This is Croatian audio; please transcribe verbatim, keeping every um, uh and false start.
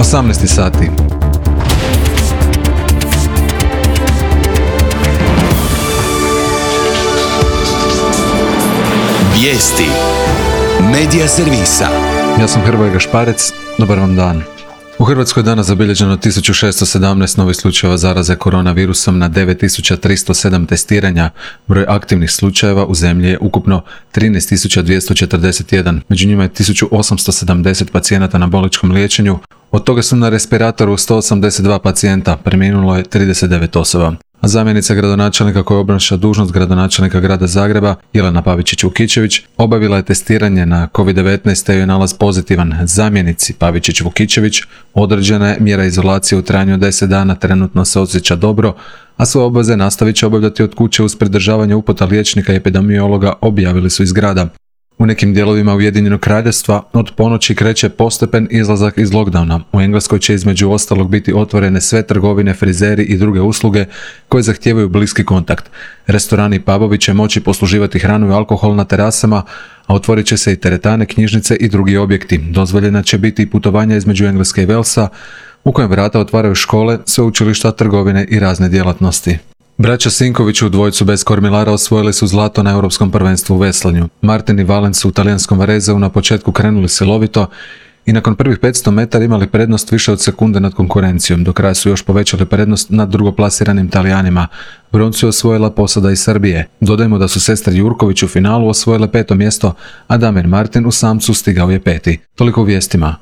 osamnaest sati. Vijesti Medija servisa. Ja sam Hrvoje Gašparec, dobar vam dan. U Hrvatskoj je danas zabilježeno tisuću šesto sedamnaest novih slučajeva zaraze koronavirusom na devet tisuća tristo sedam testiranja. Broj aktivnih slučajeva u zemlji je ukupno trinaest tisuća dvjesto četrdeset jedan. Među njima je tisuću osamsto sedamdeset pacijenata na bolničkom liječenju. Od toga su na respiratoru sto osamdeset dva pacijenta, preminulo je trideset devet osoba. A zamjenica gradonačelnika koja obnaša dužnost gradonačelnika grada Zagreba, Jelena Pavičić-Vukičević, obavila je testiranje na kovid devetnaest te joj je nalaz pozitivan. Zamjenici Pavičić-Vukičević određena je mjera izolacije u trajanju od deset dana, trenutno se osjeća dobro, a svoje obveze nastavit će obavljati od kuće uz pridržavanje uputa liječnika i epidemiologa, objavili su iz grada. U nekim dijelovima Ujedinjenog Kraljevstva od ponoći kreće postepen izlazak iz lockdowna. U Engleskoj će između ostalog biti otvorene sve trgovine, frizeri i druge usluge koje zahtijevaju bliski kontakt. Restorani i pubovi će moći posluživati hranu i alkohol na terasama, a otvorit će se i teretane, knjižnice i drugi objekti. Dozvoljena će biti i putovanja između Engleske i Walesa, u kojem vrata otvaraju škole, sveučilišta, trgovine i razne djelatnosti. Braća Sinković u dvojcu bez kormilara osvojili su zlato na Europskom prvenstvu u veslanju. Martin i Valen su u talijanskom Varezeu na početku krenuli silovito i nakon prvih petsto metara imali prednost više od sekunde nad konkurencijom. Do kraja su još povećali prednost nad drugoplasiranim Talijanima. Broncu je osvojila posada iz Srbije. Dodajmo da su sestre Jurković u finalu osvojile peto mjesto, a Damir Martin u samcu stigao je peti. Toliko u vijestima.